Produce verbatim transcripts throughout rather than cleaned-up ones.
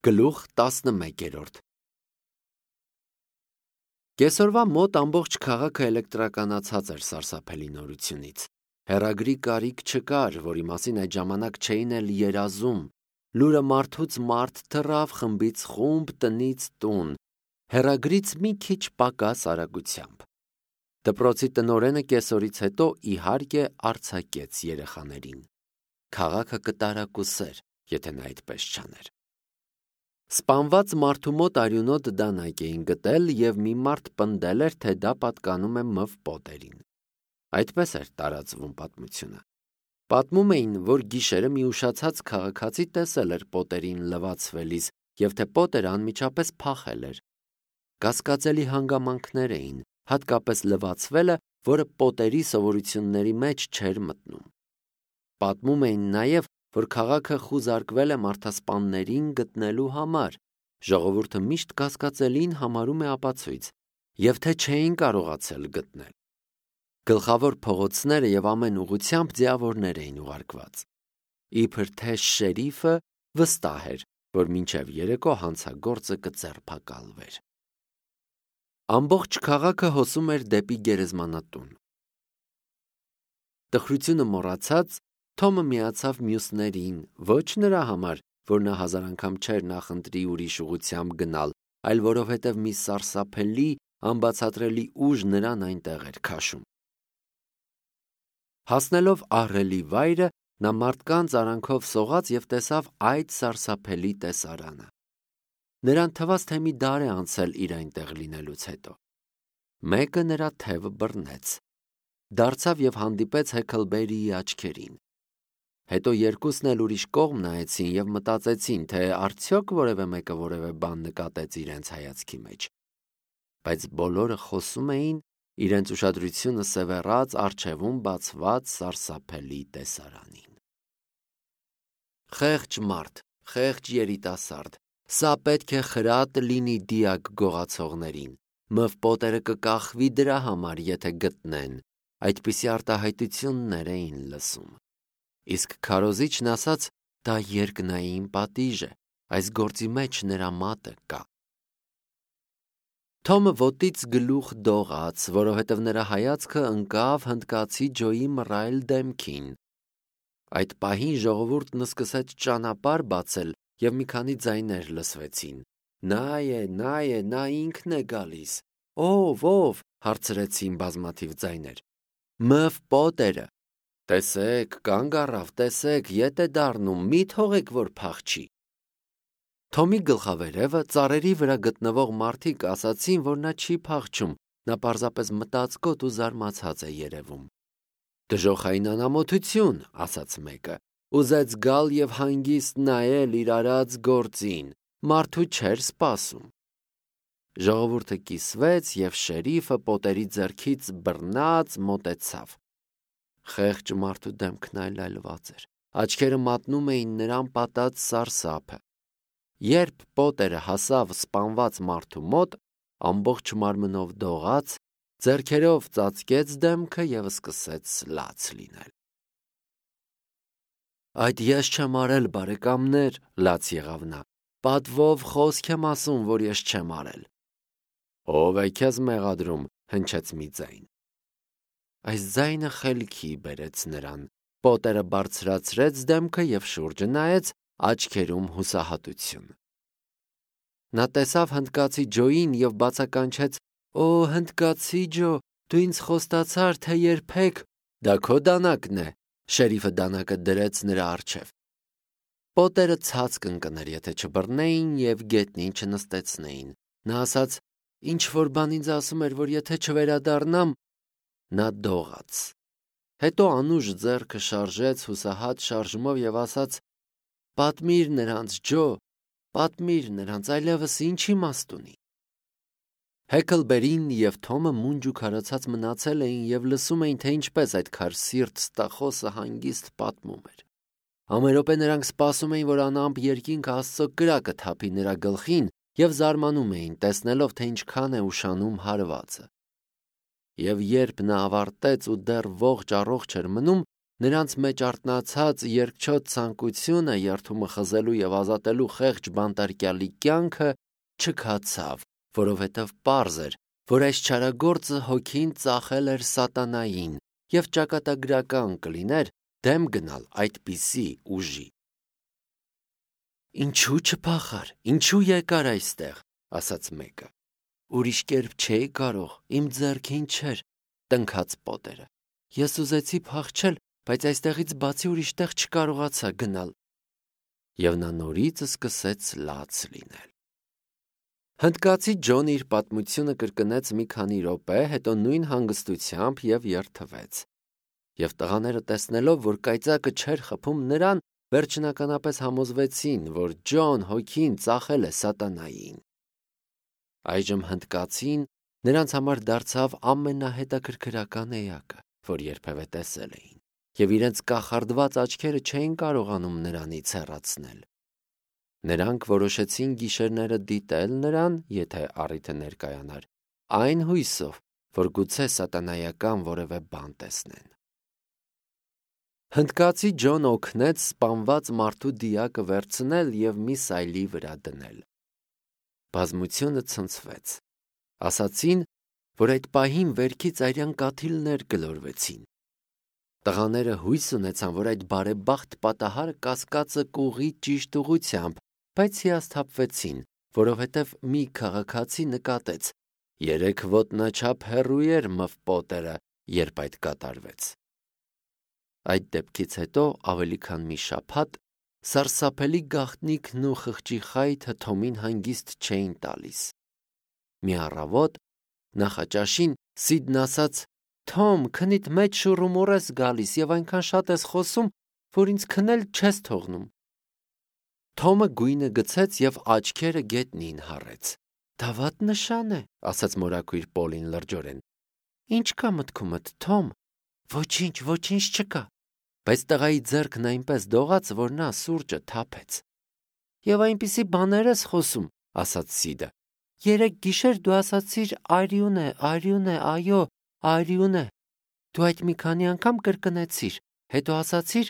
Գլուխ տասնմեկերորդ Կեսօրվա մոտ ամբողջ քաղաքը էլեկտրականացած էր սարսափելի նորությունից։ Հեռագրի կարիք չկար, որի մասին այդ ժամանակ չէին էլ երազում։ Լուրը մարդուց մարդ թռավ, խմբից խումբ, տնից տուն, հեռագրից մի քիչ պակաս արագությամբ։ Դպրոցի տնօրենը կեսօրից հետո իհարկե արձակեց երեխաներին։ Քաղաքը կտարակուսեր, եթե նա այդպես չաներ։ Սպանված մարդու մոտ արյունոտ դանակ էին գտել և մի մարդ պնդել էր, թե դա պատկանում է Մ Վ Պոտերին։ Այդպես էր տարածվում պատմությունը։ Պատմում էին, որ գիշերը մի ուշացած քաղաքացի տեսել էր Պոտերին լվացվելիս և թե Պոտերը անմիջապես փախել էր։ Կասկածելի հանգամանքներ էին, հատկապես լվացվելը, որը Պոտերի սովորությունների մեջ չէր մտնում։ Պատմում էին նաև, որ քաղաքը խուզարկվել է մարդասպաններին գտնելու համար, ժողովուրդը միշտ կասկածելին համարում է ապացույց, և թե չէին կարողացել գտնել։ Գլխավոր փողոցները և ամեն ուղղությամբ ձիավորներ էին ուղարկված։ Իբր թե շերիֆը վստահ էր, որ մինչև երեկո հանցագործը կձերբակալվեր։ Ամբողջ քաղաքը հոսում էր դեպի գերեզմանատուն։ Տխրությունը մոռացած, Թոմը միացավ մյուսներին, ոչ նրա համար, որ նա հազար անգամ չէր նախընտրի ուրիշ ուղղությամբ գնալ, այլ որովհետև մի սարսափելի, անբացատրելի ուժ նրան այնտեղ էր քաշում։ Հասնելով ահռելի վայրը, նա մարդկանց արանքով սողաց և տեսավ այդ սարսափելի տեսարանը։ Նրան թվաց, թե մի դար է անցել իր այնտեղ լինելուց հետո։ Մեկը նրա թևը բռնեց։ Դարձավ և հանդիպեց Հեքլբերիի աչքերին։ Հետո երկուսն էլ ուրիշ կողմ նայեցին և մտածեցին, թե արդյոք որևէ մեկը որևէ բան նկատեց իրենց հայացքի մեջ։ Բայց բոլորը խոսում էին, իրենց ուշադրությունը սևեռած առջևում բացված սարսափելի տեսարանին։ Խեղճ մարդ, խեղճ երիտասարդ, սա պետք է խրատ լինի դիակ գողացողներին։ Մ Վ Պոտերը կկախվի դրա համար, եթե գտնեն, այդպիսի արտահայտություններ էին լսում։ Իսկ քարոզիչն ասաց, դա երկնային պատիժ է, այս գործի մեջ նրա մատը կա։ Թոմը ոտից գլուխ դողաց, որովհետև նրա հայացքը ընկավ հնդկացի Ջոյի մռայլ դեմքին։ Այդ պահին ժողովուրդն սկսեց ճանապարհ բացել և մի քանի ձայներ լսվեցին։ Նա է, նա է, նա ինքն է գալիս։ Ո՞վ, ո՞վ, հարցրեցին բազմաթիվ ձայներ։ Մ Վ Պոտերը։ Տեսեք, կանգ առավ, տեսեք, ետ է դառնում, մի թողեք, որ փախչի։ Թոմի գլխավերևը ծառերի վրա գտնվող մարդիկ ասացին, որ նա չի փախչում, նա պարզապես մտածկոտ ու զարմացած է երևում։ Դժոխային անամոթություն, ասաց մեկը, ուզեց գալ և հանգիստ նայել իր արած գործին, մարդու չէր սպասում։ Ժողովուրդը կիսվեց, և շերիֆը Պոտերի ձեռքից բռնած մոտեցավ։ Խեղճ մարդու դեմքն այլայլված էր, աչքերը մատնում էին նրան պատած սարսափը։ Երբ Պոտերը հասավ սպանված մարդու մոտ, ամբողջ մարմնով դողաց, ձեռքերով ծածկեց դեմքը և սկսեց լաց լինել։ Այդ ես չեմ արել, բարեկամներ, լաց եղավ նա, պատվով խոսք եմ ասում, որ ես չեմ արել։ Ո՞վ է քեզ մեղադրում, հնչեց մի ձայն։ Այս ձայնը խելքի բերեց նրան։ Պոտերը բարձրացրեց դեմքը և շուրջը նայեց, աչքերում հուսահատություն։ Նա տեսավ հնդկացի Ջոյին և բացականչեց. Օ, հնդկացի Ջո, դու ինձ խոստացար, թե երբեք… Դա քո դանակն է։ Շերիֆը դանակը դրեց նրա առջև։ Պոտերը ցած կընկներ, եթե չբռնեին և գետնին չնստեցնեին։ Նա ասաց. ինչ-որ բան ինձ ասում էր, որ եթե չվերադառնամ… Նա դողաց։ Հետո անուշ ձեռքը շարժեց հուսահատ շարժումով և ասաց. պատմիր նրանց, Ջո, պատմիր նրանց, այլևս ինչ իմաստ ունի։ Հեքլբերին և Թոմը մունջ ու քարացած մնացել էին և լսում էին, թե ինչպես այդ քարսիրտ ստախոսը հանգիստ պատմում էր։ Ամեն րոպե նրանք սպասում էին, որ անամպ երկինքը Աստծո կրակը թափի նրա գլխին և զարմանում էին, տեսնելով, թե ինչքան է ուշանում հարվածը։ Եվ երբ նա ավարտեց ու դեռ ողջ առողջ էր մնում, նրանց մեջ արթնացած երկչոտ ցանկությունը երթումը խզելու եւ ազատելու խեղճ բանտարկյալի կյանքը չքացավ, որովհետև պարզ էր, որ այս չարագործը հոգին ծախել էր սատանային եւ ճակատագրական կլիներ դեմ գնալ այդպիսի ուժի։ «Ինչու չփախար, ինչու եկար այստեղ», ասաց մեկը։ «Ուրիշ կերպ չէի կարող, իմ ձեռքին չէր», տնքաց Պոտերը։ «Ես ուզեցի փախչել, բայց այստեղից բացի ուրիշ տեղ չկարողացա գնալ»։ Եվ նա նորից սկսեց լաց լինել։ Հնդկացի Ջոնը իր պատմությունը կրկնեց մի քանի րոպե, հետո նույն հանգստությամբ եւ երթվեց։ Եվ տղաները տեսնելով, որ կայծակը չէր խփում նրան, վերջնականապես համոզվեցին, որ Ջոն հոգին ծախել է սատանային։ Այժմ հնդկացին նրանց համար դարձավ ամենահետաքրքրական էակը, որ երբևէ տեսել էին, եւ իրենց կախարդված աչքերը չէին կարողանում նրանից հեռացնել։ Նրանք որոշեցին գիշերները դիտել նրան, եթե առիթը ներկայանար, այն հույսով, որ գուցե սատանայական որևէ բան տեսնեն։ Հնդկացի Ջոն օգնեց սպանված մարդու դիակը վերցնել եւ մի սայլի վրա դնել։ Բազմությունը ցնցվեց։ Ասացին, որ այդ պահին վերքից արյան կաթիլներ գլորվեցին։ Տղաները հույս ունեցան, որ այդ բարեբախտ պատահարը կասկածը կուղի ճիշտ ուղությամբ, բայց հիասթափվեցին, որովհետև մի քաղաքացի նկատեց. երեք ոտնաչափ հեռու էր Մըվ Պոտերը, երբ այդ կատարվեց։ Այդ դեպքից հետո ավելի քան մի շաբաթ սարսափելի գաղտնիքն ու խղճի խայթը Թոմին հանգիստ չէին տալիս։ Մի առավոտ նախաճաշին Սիդն ասաց. «Թոմ, քնիդ մեջ շուռումուռ ես գալիս եւ այնքան շատ ես խոսում, որ ինձ քնել չես թողնում»։ Թոմը գույնը գցեց եւ աչքերը գետնին հառեց։ «Դա վատ նշան է», ասաց մորաքույր Պոլին լրջորեն։ «Ինչ կա մտքումդ, Թոմ»։ «Ոչինչ, ոչինչ չկա»։ Բայց տղայի ձեռքն այնպես դողաց, որ նա սուրճը թափեց։ «Եվ այնպիսի բաներ ես խոսում», ասաց Սիդը։ «Երեկ գիշեր դու ասացիր արյուն է, արյուն է, այո, արյուն է։ Դու այդ մի քանի անգամ կրկնեցիր, հետո ասացիր,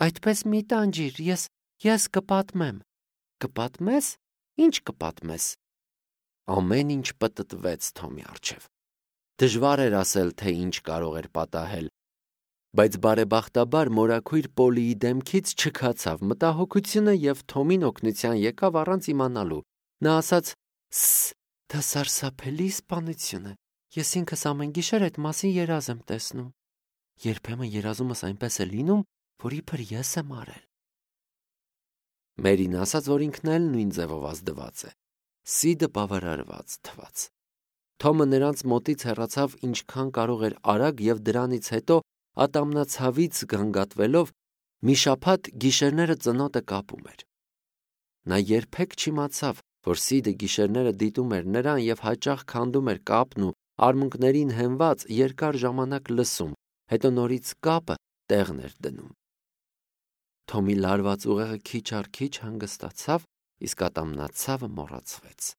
այդպես մի տանջիր, ես, ես կպատմեմ»։ «Կպատմես, ինչ կպատմես»։ Ամեն ինչ պտտվեց Թոմի առջև։ Դժվար էր ասել, թե ինչ կարող էր պատահել, բայց բարեբախտաբար մորաքույր Պոլիի դեմքից չքացավ մտահոգությունը եւ Թոմին օգնության եկավ առանց իմանալու։ Նա ասաց. «Սս, դա սարսափելի սպանություն է։ Ես ինքս ամեն գիշեր այդ մասին երազ եմ տեսնում։ Երբեմն երազումս այնպես է լինում, որ իբր ես եմ արել»։ Մերին ասաց, որ ինքն էլ նույն ձևով ազդված է։ Սիդը բավարարված թվաց։ Թոմը նրանց մոտից հեռացավ ինչքան կարող էր արագ եւ դրանից հետո ատամնացավից գանգատվելով մի շաբաթ գիշերները ծնոտը կապում էր։ Նա երբեք չիմացավ, որ Սիդը գիշերները դիտում էր նրան եւ հաճախ քանդում էր կապն ու արմունկներին հենված երկար ժամանակ լսում, հետո նորից կապը տեղն էր դնում։ Թոմի լարված ուղեղը քիչ առ քիչ հանգստացավ, իսկ ատամնացավը մոռացվեց։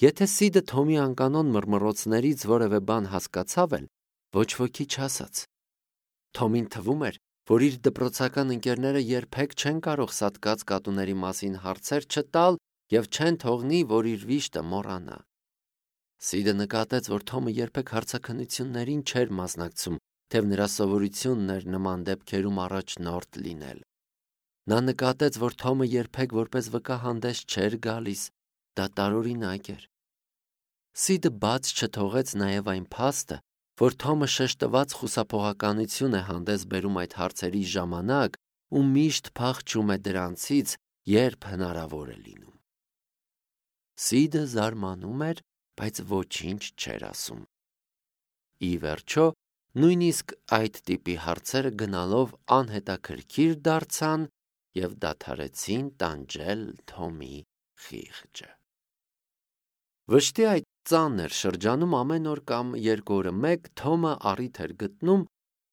Եթե Սիդը Թոմի անկանոն մռմռոցներից որևէ բան հասկացավ էլ, ոչ ոքի չասաց։ Թոմին թվում էր, որ իր դպրոցական ընկերները երբեք չեն կարող սատկած կատուների մասին հարցեր չտալ եւ չեն թողնի, որ իր վիշտը մոռանա։ Սիդը նկատեց, որ Թոմը երբեք հարցաքննություններին չէր մասնակցում, թեև նրա սովորությունն էր նման դեպքերում առաջնորդ լինել։ Նա նկատեց, որ Թոմը երբեք որպես վկա հանդես չէր գալիս, դա տարօրինակ էր։ Սիդը բաց չթողեց նաև այն փաստը, որ Թոմը շեշտված խուսափողականություն է հանդես բերում այդ հարցերի ժամանակ ու միշտ փախչում է դրանցից, երբ հնարավոր է լինում։ Սիդը զարմանում էր, բայց ոչինչ չէր ասում։ Ի վերջո, նույնիսկ այդ տիպի հարցերը գնալով անհետաքրքիր դարձան եւ դադարեցին տանջել Թոմի խիղճը։ Վշտի այդ ծանր շրջանում ամեն օր կամ երկու օրը մեկ Թոմը առիթ էր գտնում,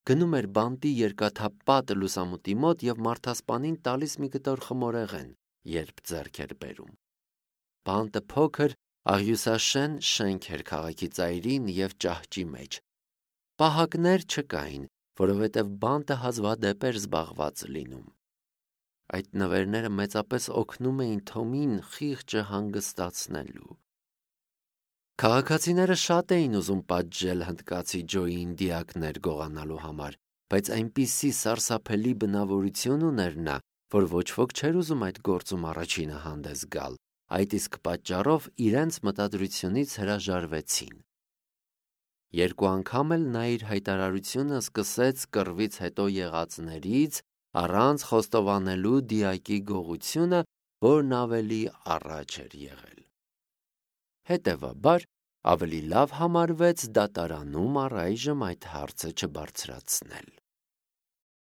գնում էր բանտի երկաթապատ լուսամուտի մոտ եւ մարդասպանին տալիս մի կտոր խմորեղեն, երբ ձեռք էր բերում։ Բանտը փոքր, աղյուսաշեն շենք էր քաղաքի ծայրին եւ ճահճի մեջ։ Պահակներ չկային, որովհետև բանտը հազվադեպ էր զբաղված լինում։ Այդ նվերները մեծապես օգնում էին Թոմին խիղճը հանգստացնելու։ Քաղաքացիները շատ էին ուզում պատժել հնդկացի Ջոյին դիակներ գողանալու համար, բայց այնպիսի սարսափելի բնավորություն ուներ նա, որ ոչ ոք չէր ուզում այդ գործում առաջինը հանդես գալ, այդ իսկ պատճառով իրենց մտադրությունից հրաժարվեցին։ Երկու անգամ էլ նա իր հայտարարությունը սկսեց կռվից հետո եղածներից, առանց խոստովանելու դիակի գողությունը, որն ավելի առաջ էր եղել։ Հետևաբար, ավելի լավ համարվեց դատարանում առայժմ այդ հարցը չբարձրացնել։